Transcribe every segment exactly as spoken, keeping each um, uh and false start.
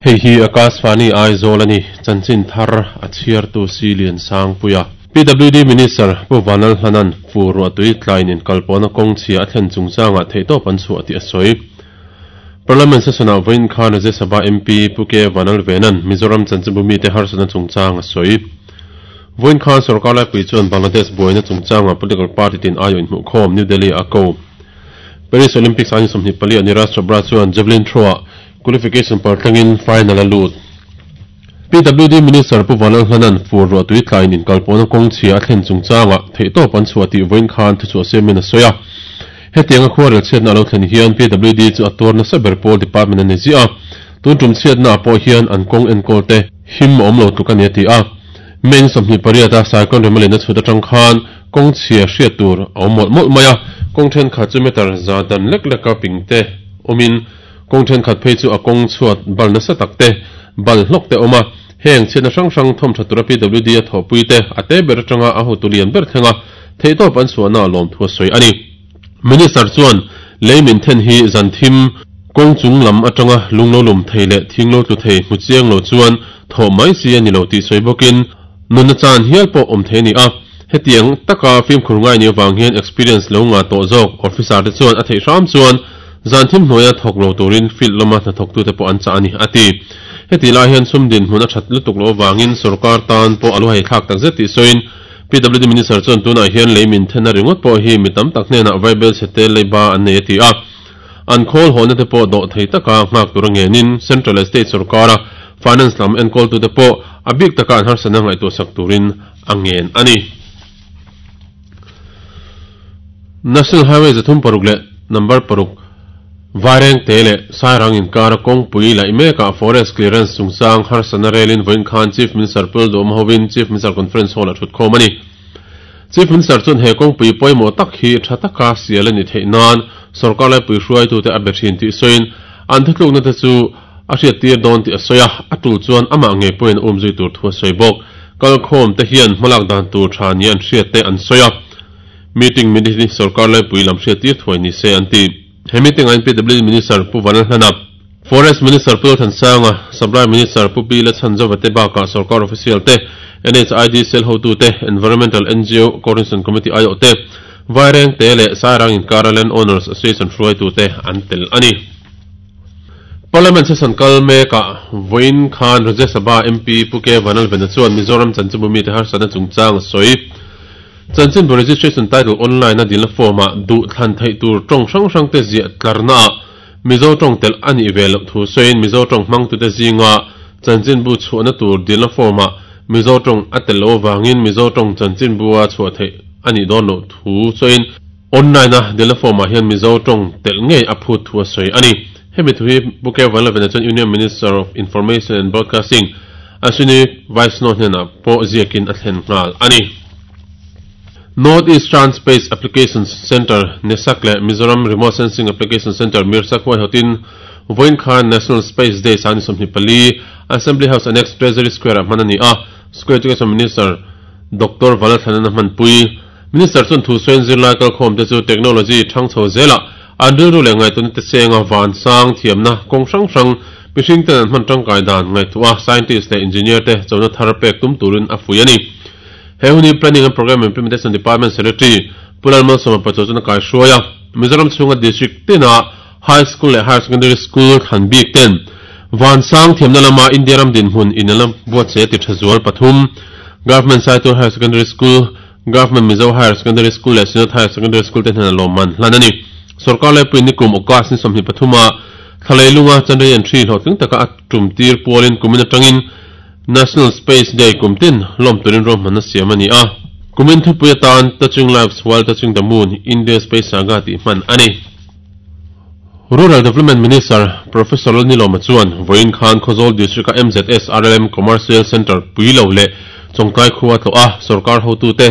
Hei hi Akashvani Aizawl ani chanchin thar a chhiartu Silian Sangpuia P W D Minister Pu Vanlalhlanan fur ruahtui tlain in kalpawhna kawng chhia a thlen chungchangah theihtawp an chhuah tih a sawi. Parliament session ah vawiin khan Rajya Sabha M P Pu K Vanlalvenan Mizoram chanchinbu mite harsatna chungchang a sawi. Vawiin khan sarkar laipui chuan Bangladesh buaina chungchangah political party tin aiawh inhmuhkhawm New Delhi a ko. Paris Olympics ani sawmhnih pali a Neeraj Chopra chuan javelin throw ah qualification paltlangin final a lut. P W D Minister Pu Vanlalhlanan fur ruahtui tlain in kalpawhna kawng chhia a thlen chungchangah theihtawp an chhuah tih vawiin khan thuchhuah siamin a sawi a. Hetiang a khuarel chhiatna alo thlen hian P W D chu a tuarna saber pawl department ani zia a. Tun tum chhiatna ah pawh hian an kawng enkawl te him a awm lo tluk ani a ti a. Main sawmhnih pariat a cyclone Remalin a chhut atang khan kawng chhia hriat tur a awm mawlh mawlh mai a. Kawng thenkhat chu meter za dan lek lek a ping te awmin kawng thenkhat phei chu a kawng chhuat bal nasa tak te bal hlawk te awm a. Heng chhiatna hrang hrang thawm tha tura P W D a thawhpui te a te ber atanga a hotu lian ber thlenga theihtawp an chhuahna a lawm thu a sawi ani. Minister chuan lei min then hi zan thim kawng chung lam atanga lung lo lum thei leh thing lo tlu thei hmu chiang lo chuan thaw mai si ani lo tih sawi bawkin nunna chan hial pawh awm thei ani a. Hetiang taka fimkhur ngai ni awang hian experience lo nga tawh zawk officer te chuan a theih hram chuan zan thim hnuaia thawk lo turin field lama hnathawk tu te pawh an chah ani a ti. Heti lai hian sum din hmun a that lutuk lo awangin sarkar tan pawh a lu hei thlak tak zet tih sawiin P W D Minister chuan tunah hian lei min then a ringawt pawh hi mi tam tak hnenah vaibel chhe leiba an nei a ti a. An khawl hawhna te pawh dawh thei taka nghak tur a ngenin Central State sarkara Finance lam enkawl tu te pawh a bik taka an harsatna ngaihtuah sak turin a ngen ani. National Highway zathum paruk leh number paruk Vaireng te leh Sairang inkara kawngpui laih mekah forest clearance chungchang harsatna relin vawiin khan Chief Minister Pul Duhawm hovin Chief Minister Conference Hall a thut khawm ani. Chief Minister chuan he kawngpui pawimawh tak hi tha taka sial ani theih nan sarkar laipui hruaitu te a be thin tih sawiin an thutlukna te chu a hriat tir dawn tih a sawi a, a tul chuan amah ngei pawhin a um zui tur thu a sawi bawk. Kalkhawm te hian hmalak dan tur tha ni an hriat te an sawi a. Meeting minute sarkar laipui lam hriat tir thuai ni se an ti. He meeting a P W D Minister Pu Vanlalhlana, Forest Minister Pu Thansanga, Supply Minister Pu P Lachhanzova te bakah sarkar official te, N H I D Cell hotu te, Environmental N G O Coordination Committee I O te, Vaireng te leh Sairang inkara Land Owners Association hruaitu te an tel ani. Parliament session kal mekah vawiin khan Rajya Sabha M P Pu K Vanlalvena chuan Mizoram chanchinbu mite harsatna chungchang a sawi. Chanchinbu registration title online a dilna form ah duh thlan theih tur tawng hrang hrang te ziah tlarna ah Mizo tawng tel ani ve loh thu sawiin Mizo tawng hmang tu te zinga chanchinbu chhuahna tur dilna form ah Mizo tawng a tel lo awangin Mizo tawng chanchinbu a chhuah theih ani dawn loh thu sawiin online a dilna form ah hian Mizo tawng tel ngei a phut thu a sawi ani. Hemi thu hi Pu K Vanlalvena chuan Union Minister of Information and Broadcasting Ashwini Vaishnaw hnenah pawh ziakin a thlen nghal ani. North Eastern Space Applications Center NESAC leh Mizoram Remote Sensing Application Center MIRSAC huaihawtin vawiin khan National Space Day sani sawmhnih pali Assembly House Annex Treasury Square ah hman ani a. School Education Minister Doctor Vanlalthlanan a hmanpui. Minister chuan thu sawiin zirlai kalkhawm te chu technology thang chho zelah an rilru leh ngaihtuahna te chenga van sang thiamna kawng hrang hrang mihring ten an hman tangkai dan ngaihtuah a scientist leh engineer te chona thar pek tum turin a fui ani. He huni Planning and Program Implementation Department Secretary Pulal Malsawma Pachaw chuan a kai hruai a. Mizoram chhunga district tina high school leh higher secondary school thlan bik ten van sang thiamna lama India ram dinhmun inela buatsaih a ti tha zual pathum. Government Saitual Higher Secondary School, Government Mizo Higher Secondary School leh Synod Higher Secondary School te hnena lawmman hlan ani. Sarkar laipui nikum August ni sawmhnih pathuma thlalei lunga Chandrayaan three hlawhtling taka a tum tir pualin kumin atangin National Space Day kumtin lawm turin ruahmanna siam ani a. Kumin thupui atan Touching Lives While Touching the Moon India Space Saga tih hman ani. Rural Development Minister Professor Lalnilawma chuan vawiin khan Khawzawl District a M Z S R L M Commercial Centre Puilo leh Chawngtlai khua tlawh a sarkar hotu te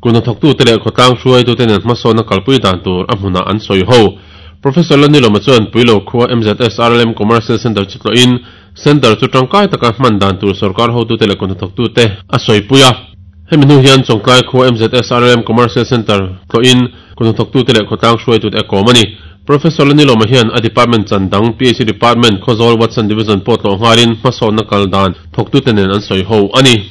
kuhnathawktu te leh khawtlang hruaitu te nen hmasawnna kalpui dan tur a hmunah an sawi ho. Professor Lalnilawma chuan Puilo khua M Z S R L M Commercial Centre chu tlawhin Center chu tangkai taka hman dan tur sarkar hotu te leh kuhnathawktu te a sawi a. Hemi hnu hian Chawngtlai khua M Z S R L M Commercial Centre tlawhin kuhnathawktu te leh khawtlang hruaitu te a kawm ani. Professor Lalnilawma hian a department chandang P H D department Khawzawl Watson Division pawh tlawh nghalin hmasawnna kal dan thawktute nen an sawi ho a ni.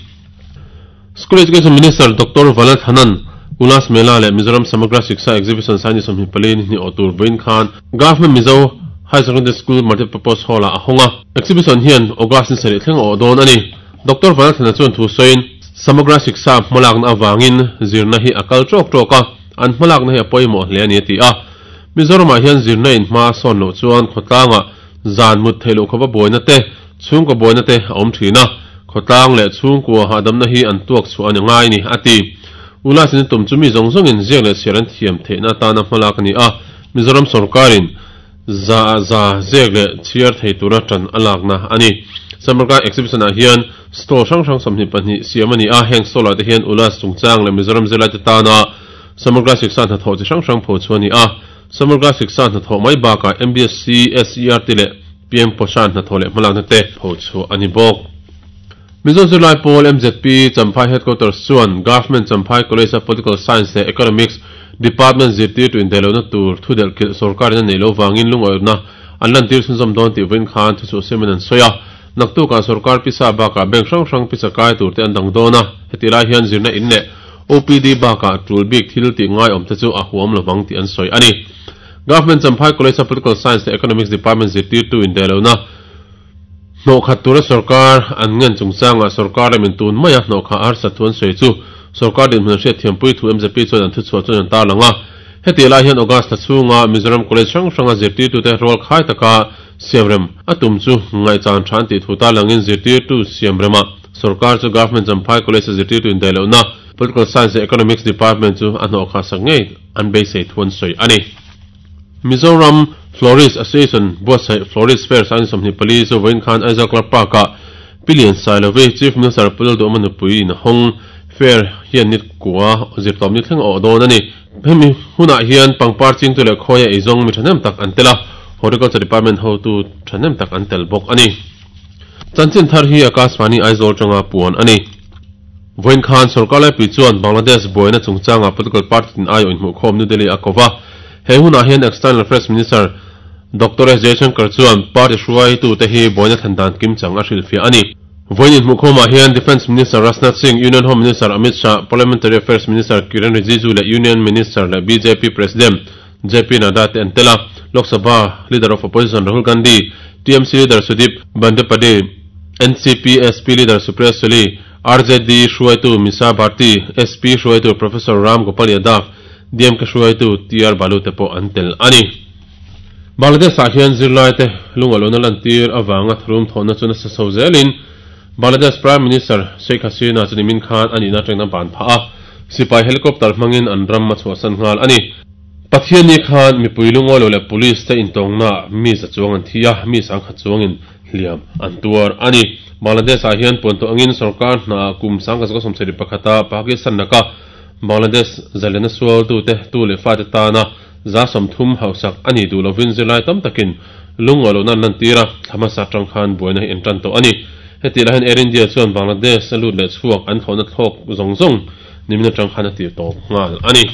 School Education Minister Doctor Vanlalthanan Ulas Mela leh Mizoram Samagra Shiksha Exhibition Saini sawmhnih pali ni hnih awh tur vawiin khan Government Mizo High Secondary School Multipurpose Hall ah a hawng a. Exhibition hian August ni sarih thleng a awh dawn a ni. Doctor Vanlalthana chuan thu sawiin Samagra Shiksha hmalakna avangin zirna hi a kal tawk tawk a, an hmalakna hi a pawimawh hle a ni a ti a. Mizoramah hian zirna in hma a sawn loh chuan khawtlangah zan mut theih loh khawpa buaina te, chhungkaw buaina te a awm thin a, khawtlang leh chhungkua hahdamna hi an tuak chhuah a ni ngai ni a ti. Ulas in tum chu mi zawng zawngin ziak leh chhiar an thiam theihna atana hmalak a ni a, Mizoram sorkarin za za ziak leh chhiar thei tura tan a lakna a ni. Samagra exhibition ah hian stall hrang hrang sawmhnih pahnih siam a ni a, heng stall ah te hian Ulas chungchang leh Mizoram zirlai te tana Samagra Shiksha hnathawh chi hrang hrang pho chu a ni a. Samagra Shiksha hnathawh mai bakah M B S C, S E R T leh P M Poshan hnathawh leh hmalakna te pho chu a ni bawk. Mizo zirlai pawl M Z P Champhai Headquarters chuan Government Champhai College of Political Science leh Economics Department zirtir tu indaihlohna tur thudelh kilh sorkarin a nei lo vangin lungawiawrna an lantir chhunzawm dawn tih vawiin khan thuchhuah siamin an sawi a. Naktukah sorkar pisa bakah bank hrang hrang pisa kai tur te an dang dawn a, heti lai hian zirna in leh O P D bakah tul bik thil tih ngai awm te chu a huam lovang tih an sawi a ni. Government Champhai College of Political Science leh Economics Department zirtirtu indaihlohna hnawhkhat tura sorkar an ngen chungchangah sorkar lamin tun maia hnawhkha a harsat thu an sawi chu sorkar dinhmun an hriat thiampui thu M Z P chuan an thuchhuah chuan an tarlang a. Heti lai hian August thla chhunga Mizoram College hrang hranga zirtirtute rual khai taka siamrem a tum chu ngaihchan tha an tih thu tarlangin zirtirtu siamrema sorkar chu Government Champhai College a zirtirtu indaihlohna Political Science leh Economics Department chu a hnawhkha sak ngei an beisei thu an sawi a ni. Mizoram Florist Association buatsaih Florist Fair sang sawmhnih pali chu vawiin khan Aizawl Club Park-ah Pilian Sailovi Chief Minister Pu Lalduhawma nupui in a hawng. Fair hian ni kua zirtawm ni thleng a awh dawn a ni. Hemi hunah hian pangpar chingtu leh khawi a eizawng mi thahnem tak an tel a, Horticulture Department hotu thahnem tak an tel bawk a ni. Chanchin thar hi Akashvani Aizawl tanga puan a ni. Vawiin khan sorkar laipui chuan Bangladesh buaina chungchangah political party tin aiawh inhmuhkhawm New Delhi a ko va. He hunah hian External Affairs Minister Doctor S Jaishankar chuan party hruaitute hi buaina thlen dan kimchang a hrilhfiah a ni. Vawiin inhmuhkhawmah hian Defence Minister Rajnath Singh, Union Home Minister Amit Shah, Parliamentary Affairs Minister Kiren Rijiju leh Union Minister leh B J P President J P Nadda te an tel a. Lok Sabha Leader of Opposition Rahul Gandhi, T M C Leader Sudip Bandyopadhyay, N C P S P Leader Supriya Sule, R J D hruaitu Misa Bharti, S P hruaitu Professor Ram Gopal Yadav, D M K hruaitu T R Balu te pawh an tel a ni. Bangladesh ah hian zirlai te lungalona lantir avanga tharum thawhna chu nasa chho zelin Bangladesh Prime Minister Sheikh Hasina chu nimin khan a nihna atangin a ban phah a, sipai helicopter hmangin an ram a chhuahsan nghal a ni. Pathianni khan mipui lungawi lo leh police te intawngnaah mi za chuang an thi a, mi sangkhat chuangin hliam an tuar a ni. Bangladesh ah hian puan tawh angin sorkar hnaah kum sangkhat zakua sawmsarih pakhata Pakistan laka Bangladesh zalena sualtute tu leh fate tana za sawmthum hausak a ni duh lovin zirlai tam takin lungawi lohna an lantir a, thla hmasa atang khan buaina hi en tan tawh a ni. Heti lai hian Air India chuan Bangladesh a lut leh chhuak an thlawhna thlawk zawng zawng nimin atang khan a tir tawp nghal a ni.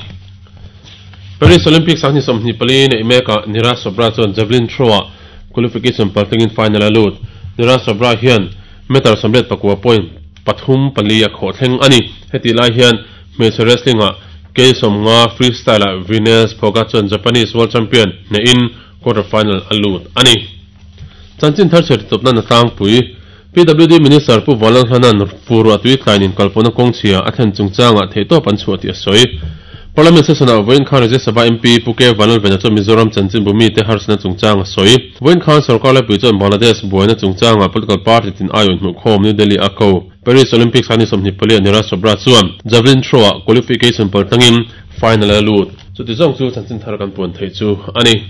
Paris Olympics ah ni sawmhnih pali neih mekah Neeraj Chopra chuan javelin throw-ah qualification paltlingin final a lut. Neeraj Chopra hian meter sawmriat pakua point pathum pali a khawh thleng a ni. Heti lai hian hmeichhe wrestling-ah K sawmnga freestyle-ah Vinesh Phogat chuan Japanese World Champion hnehin quarter final a lut a ni. Chanchin thar chher tawpna na tlangpui P W D Minister Pu Vanlalhlanan fur a tui tlain inkalpawhna kawngchhia a thlen chungchangah theihtawp an chhuah tih a sawi. Parliament session-ah vawiin khan Rajya Sabha M P Pu K Vanlalvena chuan Mizoram chanchin bumi te harsatna chungchang a sawi. Vawiin khan sorkar laipui chuan Bangladesh buaina chungchangah political party tin aiawh inhmuhkhawm New Delhi a ko. Paris Olympics a ni sawmhnih pali a Neeraj Chopra chuan javelin throw-ah qualification paltlangin final a lut. Chuti zawng chu chanchin thar kan puan theih chu a ni.